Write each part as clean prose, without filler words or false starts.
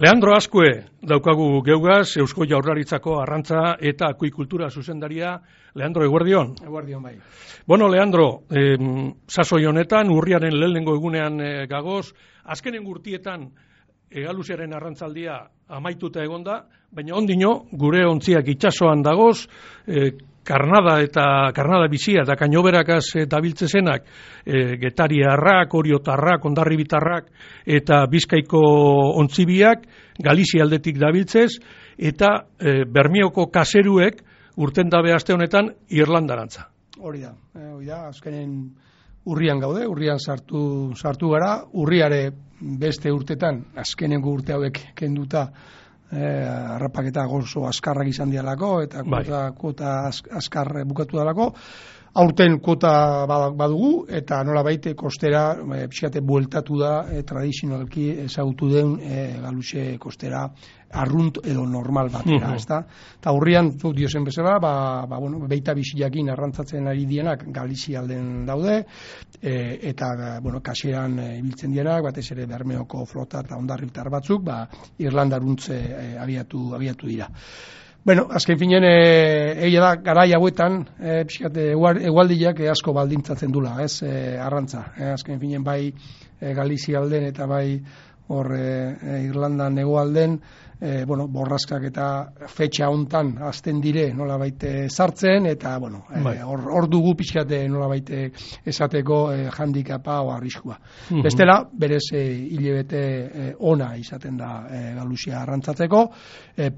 Leandro Azkue daukagu geugaz, Eusko Jaurlaritzako arrantza eta akuikultura zuzendaria. Leandro, eguerdion. Eguerdion, bai. Bueno, Leandro, sasoi honetan, urriaren lehenengo egunean gagoz, azkenen urtietan egaluziaren arrantzaldia amaituta egonda, baina ondino, gure ontziak itsasoan dagoz, karnada bizia eta kainoberakaz dabiltzezenak, getariarrak, oriotarrak, ondarribitarrak eta Bizkaiko ontzibiak, Galizia aldetik dabiltzez, eta Bermioko kaseruek urten dabe aste honetan Irlandarantza. Hori da, azkenen urrian gaude, urrian sartu gara, urriare beste urtetan, azkenengo urte hauek kenduta, harrapaketa gozo askarrak izan dialako eta kuota askar bukatu dalako. Aurten kuota badugu eta nola baite kostera pixkate bueltatu da tradizionalki ezagutu den galuxe kostera arrunt edo normal batera, ezta? Eta urrian, zuk diozen bezala, beita biziakin arrantzatzen ari dienak Galizia alden daude, eta kaseran ibiltzen dienak, batez ere Bermeoko flota eta ondarribitar batzuk, Irlandaruntze abiatu dira. Bueno, azken finen, egia da, garai hauetan, egualdiak asko baldintzatzen dula, arrantza. Azken finen, bai Galizia alden eta bai Irlandan egoalden, borraskak eta fetxa hontan azten dire nola baite sartzen, eta hor dugu pixkate nola baite esateko handikapa o arriskua. Bestela, berez hilebete ona izaten da Galuzia arrantzatzeko,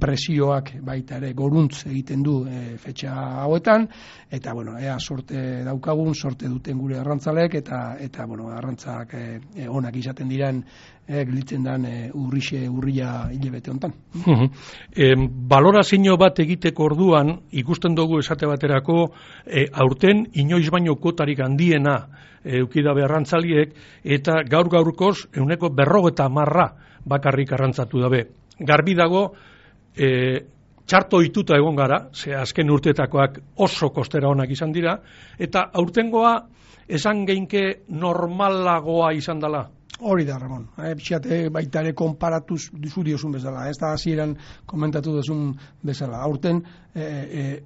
presioak baita ere goruntz egiten du fetxa hauetan, eta ea sorte daukagun, sorte duten gure arrantzalek, eta arrantzak onak izaten diren gelitzen dan urria hilebete hontan. Balorazio bat egiteko orduan ikusten dugu esate baterako aurten inoiz baino kuotarik handiena eukidabe arrantzaliek eta gaurkoz 50% bakarrik arrantzatu dabe. Garbi dago txarto ohituta egon gara, ze azken urteetakoak oso kostera onak izan dira, eta aurtengoa esan geinke normalagoa izan dela. Hori da, Ramon. Pixate baitare konparatuz duzu diozun bezala. Ez da hasieran komentatu duzun bezala. Aurten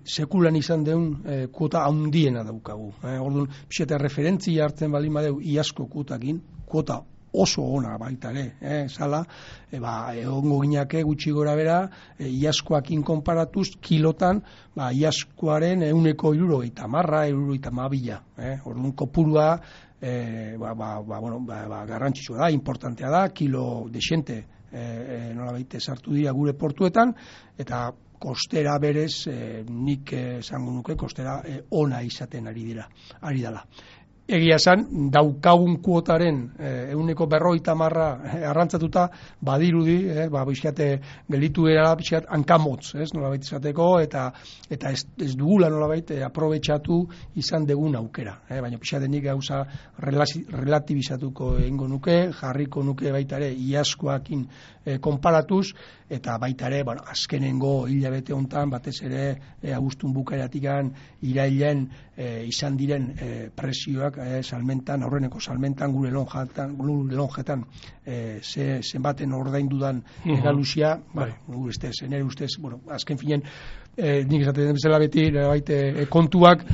sekulan izan deun kuota handiena daukagu. Orduan, pixate referentzia hartzen baldin badeu iazko kuotakin, kuota oso ona baita ere, zala, egongo ginake gutxi gora bera, iazkoakin konparatuz, kilotan, iazkoaren 170, orduan kopurua, garrantzitsua da, importantea da, kilo desente nolabait sartu dira gure portuetan, eta kostera berez, nik esango nuke, kostera ona izaten ari dela. Egia esan, daukagun kuotaren 50% arrantzatuta badirudi, bizkate gelitu era bizkat hankamotz, nolabait izateko, eta ez dugula nolabait aprobetxatu izan degun aukera. Baina bizkate nik gauza relativizatuko egingo nuke, jarriko nuke baita ere iazkoakin konparatuz, eta baita ere, azkenengo hilabete hontan, batez ere abuztun bukaeratikan irailen izan diren presioak salmentan, aurreneko salmentan, gure lonjetan zenbaten ordaindudan Galuzia, nire ustez, azken finen, nik esaten bezala beti, kontuak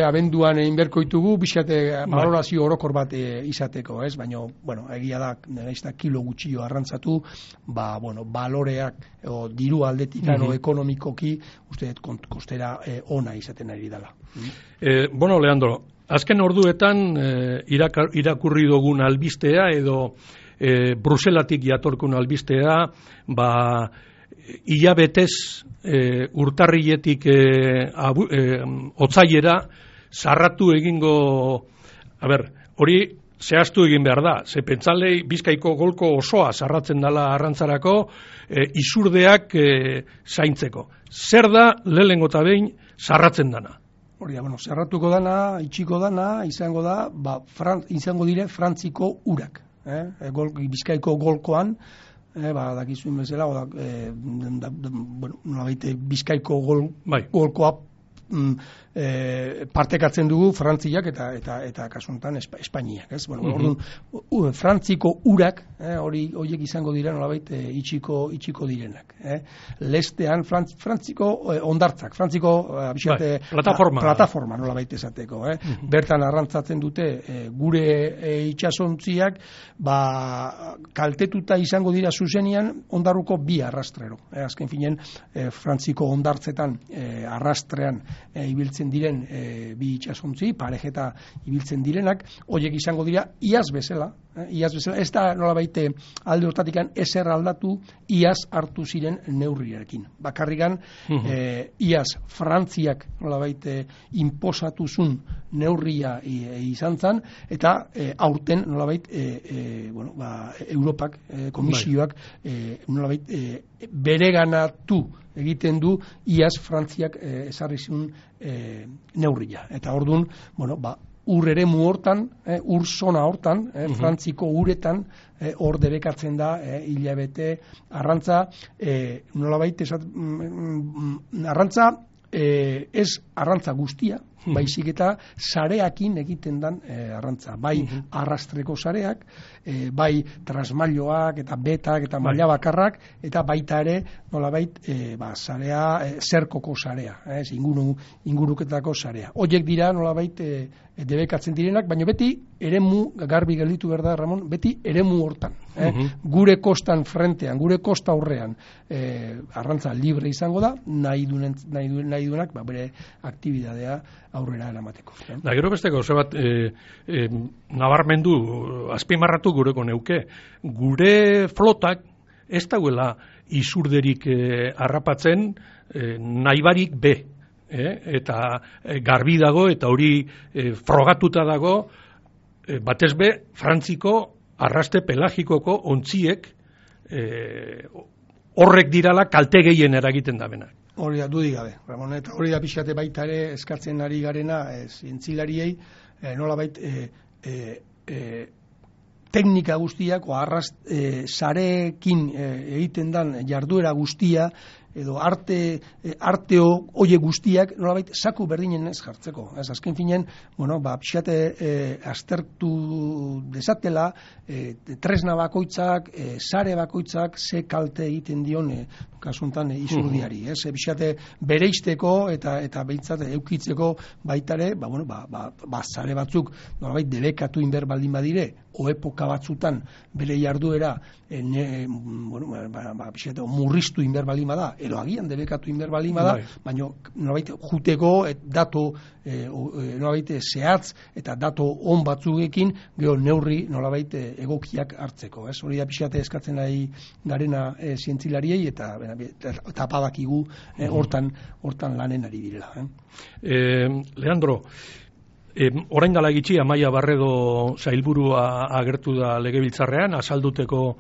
abenduan inberko ditugu, bizkate balorazio orokor bat izateko, baina, egia da, kilo gutxio arrantzatu, baloreak, diru aldetikan, ekonomikoki, uste kostera ona izaten ari dela. Leandro, azken orduetan irakurri dugun albistea edo Bruselatik jatorkun albistea, hilabetez urtarriletik otsailera sarratu egingo, hori zehaztu egin behar da, ze pentsalei Bizkaiko golko osoa sarratzen dela arrantzarako isurdeak zaintzeko. Zer da lehenengo eta behin sarratzen dana? Hori da, zerratuko dana, itxiko dana, izango da, izango dire Frantziko urak. Bizkaiko golkoan, dakizuen bezala, Bizkaiko golkoa partekatzen dugu Frantziak eta kasu honetan Espainiak, ez? Bueno, orduan Frantziko urak, horiek izango dira nolabait itxiko direnak, Lestean Frantziko hondartzak, Frantziko plataforma nolabait esateko, Bertan arrantzatzen dute gure itsasontziak, kaltetuta izango dira zuzenean hondarruko bi arrastrero. Azken finen Frantziko hondartzetan arrastrean ibiltzen diren bi itsasontzi, parejeta ibiltzen direnak, horiek izango dira iaz bezala, ez da nolabait alde hortatikan ezer aldatu iaz hartu ziren neurriarekin. Bakarrikan iaz Frantziak nolabait inposatuzun neurria izan zen, eta aurten nolabait Europak, komisioak nolabait bereganatu egiten du iaz Frantziak ezarri zuen neurria. Eta orduan, ur eremu hortan, ur zona hortan, Frantziko uretan, hor debekatzen da hilabete arrantza, nolabait arrantza, ez arrantza guztia, baizik eta sareakin egiten dan arrantza. Bai arrastreko sareak, bai trasmailoak eta betak eta maila bakarrak, eta baita ere nolabait sarea, zerkoko sarea, inguruketako sarea. Horiek dira nolabait debekatzen direnak, baina beti eremu, garbi gelditu behar da, Ramon, beti eremu hortan. Gure kostan frentean, gure kosta aurrean arrantza libre izango da, nahi duenak bere aktibidadea aurrera eramateko. Da, gero besteko, zebat, nabarmendu, azpimarratu gureko neuke, gure flotak ez dauela izurderik harrapatzen nahibarik be. Eta garbi dago, eta hori frogatuta dago, batez be, Frantziko arraste pelagikoko ontziek horrek dirala kalte gehien eragiten da benak. Hori da, dudik gabe, Ramon, eta hori da pixate baita ere eskatzen ari garena zientzilariei, nolabait teknika guztiak, sarekin egiten dan jarduera guztia, edo arteo oie guztiak nolabait zaku berdinen ez jartzeko. Azken finen, pixate aztertu dezatela, tresna bakoitzak, sare bakoitzak, ze kalte egiten dion kasuntan izurdiari. Pixate bereizteko eta behintzat eukitzeko baitare, sare batzuk nolabait debekatu inber baldin badire, o epoka batzutan bere jarduera pixate murriztu inber baldin bada, edo agian debekatu inber baldin bada, baina nolabait juteko datu nolabait zehatz eta datu on batzuekin gero neurri nolabait egokiak hartzeko. Hori da pixate eskatzen nahi garena zientzilariei eta badakigu hortan lanen ari direla. Leandro, orain dela gitxi Amaia Barredo sailburua agertu da legebiltzarrean, azalduteko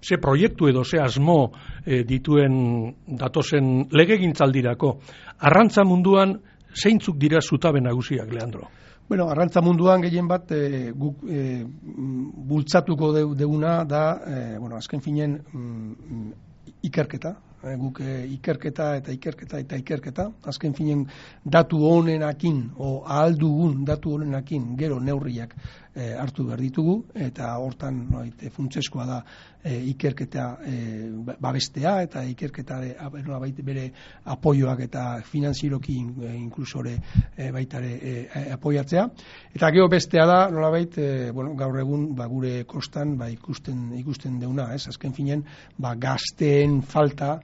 ze proiektu edo ze asmo dituen datozen legegintzaldirako. Arrantza munduan zeintzuk dira zutabe nagusiak, Leandro? Bueno, arrantza munduan gehien bat guk bultzatuko deguna da, azken finen ikerketa. Guk ikerketa, azken finen datu honenakin, o ahal dugun datu honenakin gero neurriak hartu behar ditugu, eta hortan funtseskoa da ikerketa babestea, eta ikerketa bere apoioak eta finanzieroki inklusore baitare apoiatzea. Eta gero bestea da, nolabait, gaur egun gure kostan ikusten deuna, azken finen gazteen falta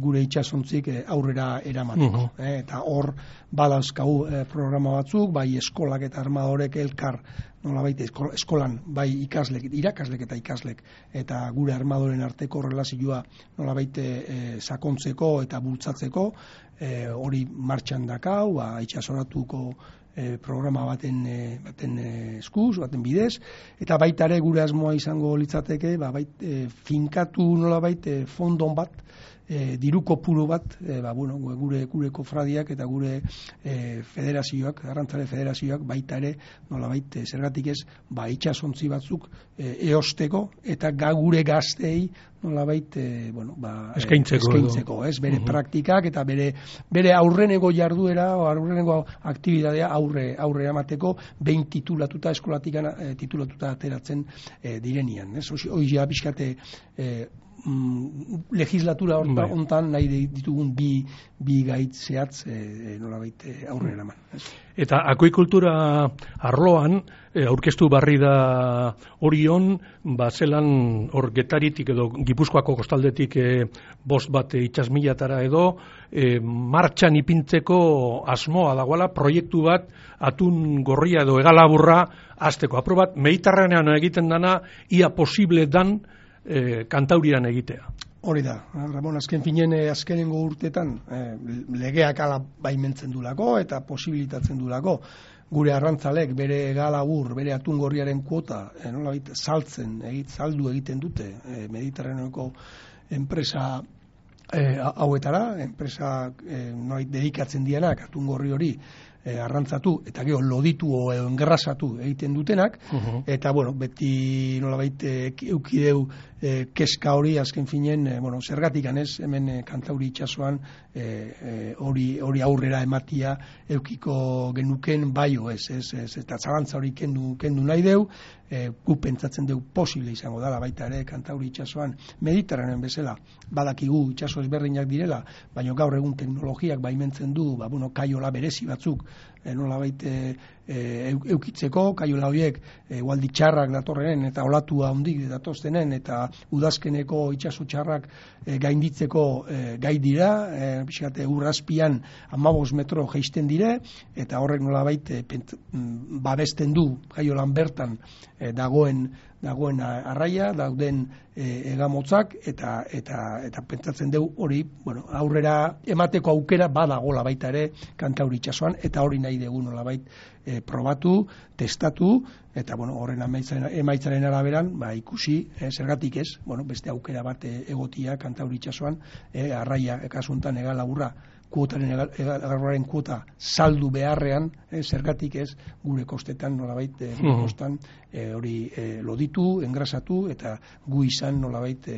gure itsasontzik aurrera eramateko. Eta hor badauzkagu programa batzuk, bai eskolak eta armadorek elkar nolabait eskolan, bai irakaslek eta ikaslek, eta gure armadoren arteko relazioa nolabait sakontzeko eta bultzatzeko, hori martxan dakau, itsasoratuko programa baten eskuz, baten bidez, eta baita ere gure asmoa izango litzateke, finkatu nolabait fondon bat diru kopuru bat, gure kofradiak eta gure federazioak, arrantzale federazioak baita ere, nolabait zergatik ez, itsasontzi batzuk eosteko eta gure gazteei nolabait eskaintzeko, bere praktikak eta bere aurreneko jarduera o aurreneko aktibitatea aurre emateko behin titulatuta eskolatik titulatuta ateratzen direnian, ez? Hoia pixkate legislatura hontan nahi ditugun bi gaitz zehatz nolabait aurrera eraman. Eta akuikultura arloan aurkeztu barri da Orion, zelan hor Getaritik edo Gipuzkoako kostaldetik 5 bat itsasmilatara edo martxan ipintzeko asmoa dagoela proiektu bat atun gorria edo hegalaburra hasteko. Aprobat Mediterranean egiten dana ia posible dan Kantaurian egitea. Hori da, Ramon, azken finen azkenengo urtetan legeak ala baimentzen dulako eta posibilitatzen dulako gure arrantzalek bere galabur, bere atungorriaren kuota saldu egiten dute Mediterraneoko enpresa hauetara, enpresa dedikatzen dianak atungorri hori arrantzatu eta gero loditu o engrasatu egiten dutenak, eta beti nolabait eukideu keska hori azken finen, zergatik anez hemen Kantauri itsasoan hori aurrera ematia eukiko genuken baio ez, eta zalantza hori kendu nahi deu, gu pentsatzen deu posible izango dela baita ere Kantauri itsasoan Mediterranean bezala, badakigu itsaso ezberdinak direla, baina gaur egun teknologiak baimentzen du, kaiola berezi batzuk nolabait eukitzeko, kaiola horiek ualdi txarrak datorrenen eta olatua handik datoztenen eta udazkeneko itsaso txarrak gainditzeko gai dira, pixkate urrazpian 15 metro jaisten dire, eta horrek nolabait babesten du kaiolan bertan dagoen arraia, dauden egamotzak, eta pentsatzen dugu hori, aurrera emateko aukera badagola baita ere Kantauri itsasoan, eta hori nahi dugu nolabait probatu, testatu, eta horren emaitzaren araberan, ikusi, zergatik ez, beste aukera bat egotia Kantauri itsasoan, arraia, kasuntan egalaburra, egarraren kuota saldu beharrean, zergatik ez, gure kostetan nolabait kostan hori loditu, engrasatu, eta gu izan nolabait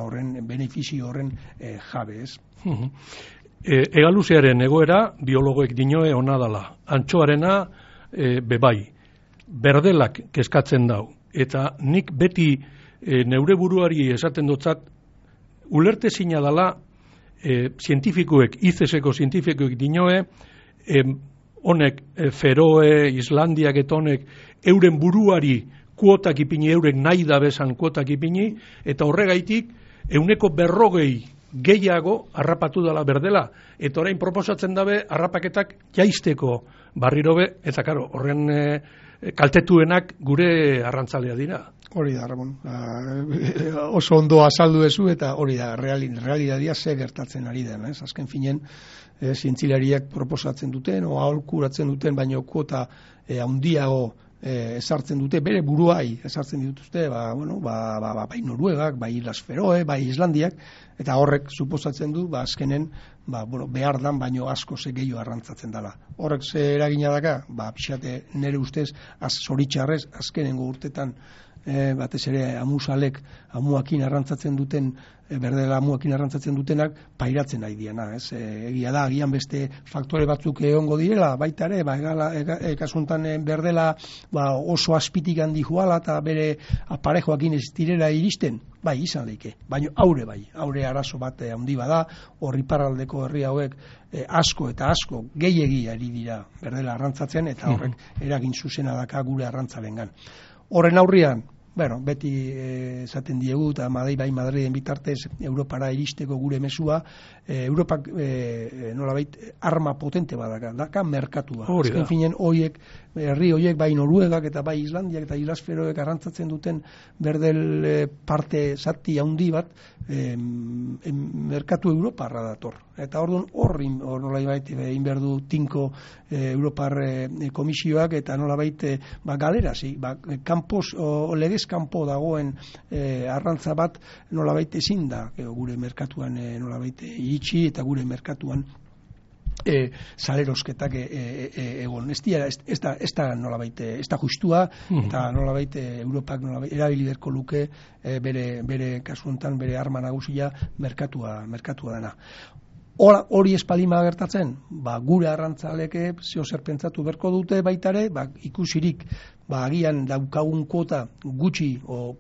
horren, benefizio horren jabe ez. Egaluzearen egoera biologoek dinoe ona dala, antxoarena bebai, berdelak kezkatzen dau, eta nik beti neure buruari esaten dotzat ulertezina dala zientifikoek, ICESeko zientifikoek dinoe, honek Feroe, Islandiak eta honek euren buruari kuotak ipini, euren nahi da bezan kuotak ipini, eta horregaitik 140 gehiago harrapatu dela berdela, eta orain proposatzen dabe harrapaketak jaisteko barrirobe, eta karo, horren kaltetuenak gure arrantzalea dira. Hori da, Ramon. Oso ondo azaldu ezu, eta hori da, realitatea ze gertatzen ari den. Azken finen, zientzilariak proposatzen duten, o aholkuratzen duten, baino kuota handiago ezartzen dute, bere buruai ezartzen dituzte, bai Noruegak, bai Islas Feroe, bai Islandiak, eta horrek suposatzen du, azkenen, behar dan, baino asko ze gehiago arrantzatzen dela. Horrek ze eragina daka, pixate nire ustez, zoritxarrez, azkenengo urtetan, batez ere amuakin arrantzatzen duten, berdela amuakin arrantzatzen dutenak pairatzen nahi diena, ez? Egia da, agian beste faktore batzuk egongo direla, baita ere, kasuntan berdela oso azpitik handi joala eta bere aparejoakin ez direla iristen, bai, izan leike, baina aure arazo bat handi bada, horri parraldeko herri hauek asko eta asko gehiegi ari dira berdela arrantzatzen, eta horrek eragin zuzena daka gure arrantzalengan. Horren aurrian, beti esaten diegu, eta Madriden bitartez Europara iristeko gure mesua, Europak nolabait arma potente badaka, daka merkatua. Azken finen herri horiek, bai Noruegak eta bai Islandiak eta Islas Feroek arrantzatzen duten berdel parte zati handi bat merkatu Europarra dator. Eta orduan nolabait inberdu tinko Europar komisioak eta nolabait galerazi, kanpos legez legez kanpo dagoen arrantza bat nolabait ezin da gure merkatuan nolabait iritsi eta gure merkatuan salerosketak egon. Ez da nolabait, ez da justua, eta nolabait Europak nolabait erabili beharko luke bere kasu honetan bere arma nagusia merkatua dena. Hori espalima gertatzen, gure arrantzaleke zeo zer pentsatu berko dute baitare, ikusirik agian daukagun kuota gutxi o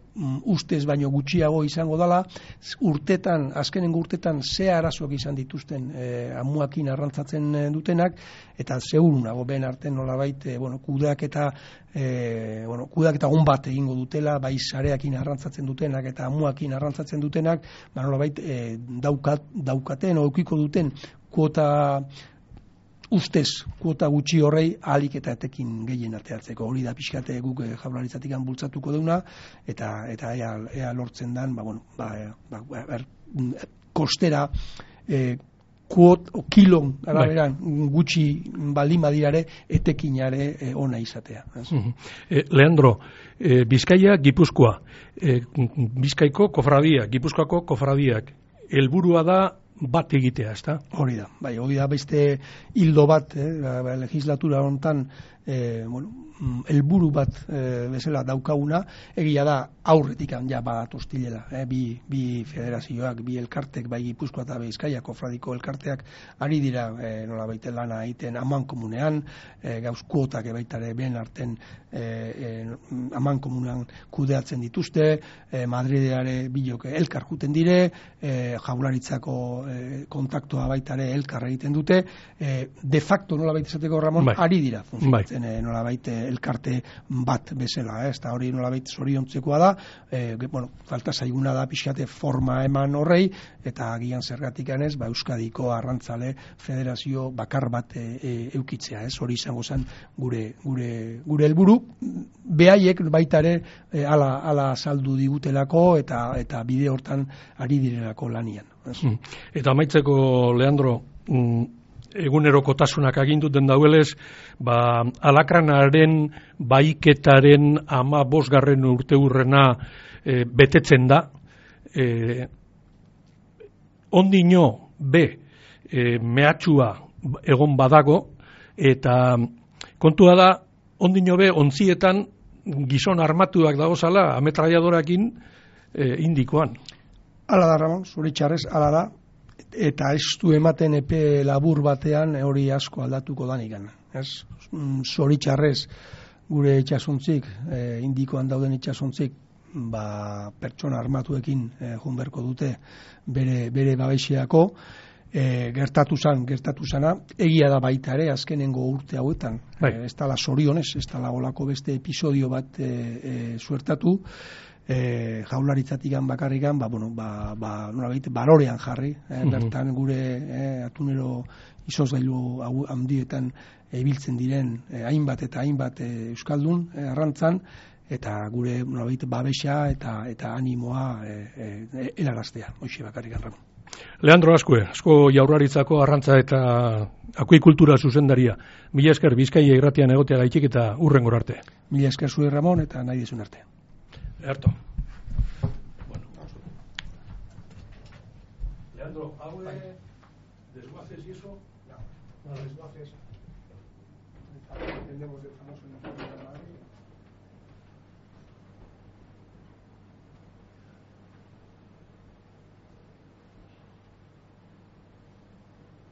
ustez baino gutxiago izango dela, azkenengo urtetan ze arazoak izan dituzten amuakin arrantzatzen dutenak, eta segurunago ben arten nolabait kudeaketa on bat egingo dutela, bai sareakin arrantzatzen dutenak eta amuakin arrantzatzen dutenak, nolabait daukaten o eukiko duten kuota ustez, kuota gutxi horrei ahalik eta etekin gehien ateatzeko. Hori da pixkate guk Jaurlaritzatik bultzatuko deuna, eta ea lortzen dan, kostera kilon araberan gutxi baldin badirare etekinare ona izatea. Leandro, Bizkaia, Gipuzkoa, Bizkaiko kofradiak, Gipuzkoako kofradiak, helburua da bat egitea, ezta? Hori da beste hildo bat, legislatura honetan, helburu bat bezala daukaguna, egia da aurretik ja bat hostilela, bi federazioak, bi elkartek, bai Gipuzkoa eta Bizkaia kofradiko elkarteak ari dira nolabait lana egiten amankomunean, gauz kuotak baitare ben arten amankomunean kudeatzen dituzte, Madrideare bilok elkar juten dire, Jaurlaritzako kontaktua baitare elkar egiten dute, de facto nolabait esateko Ramon, ari dira funtzionatzen nolabait elkarte bat bezala, eta hori nolabait zoriontzekoa da, falta zaiguna da pixkate forma eman horrei, eta agian zergatik ganez, Euskadiko arrantzale federazio bakar bat eukitzea, hori izango zen gure helburu, behaiek baitare ala saldu digutelako eta bide hortan ari direlako lanian. Eta amaitzeko, Leandro, egunerokotasunak aginduten dauelez, alakranaren baiketaren 15. urteurrena betetzen da, ondino mehatxua egon badago, eta kontua da, ondino ontzietan gizon armatuak dagozala ametraiadorakin indikoan. Hala da, Ramon, zuritxarrez, hala da, eta ez du ematen epe labur batean hori asko aldatuko danikan. Zoritxarrez gure itxasontzik, indikoan dauden itxasontzik, pertsona armatuekin junberko dute bere babesiako, gertatu zana, egia da baita ere, azkenengo urte hauetan, ez dala zorionez, ez dala olako beste episodio bat suertatu, Jaurlaritzatik bakarrikan, nolabait, balorean jarri, bertan gure atunero izozgailu handietan ibiltzen diren hainbat eta hainbat euskaldun arrantzan, eta gure nolabait babesa eta animoa helaraztea, hoxe bakarrikan, Ramon. Leandro asko Jaurlaritzako arrantza eta akuikultura zuzendaria. Mila esker Bizkaia irratian egotea gaitik eta hurrengora arte. Mila esker zure, Ramon, eta nahi dizun arte. Erto. Leandro, ¿algo de desguaces y eso? No, desguaces. Entendemos el famoso informe de Madrid.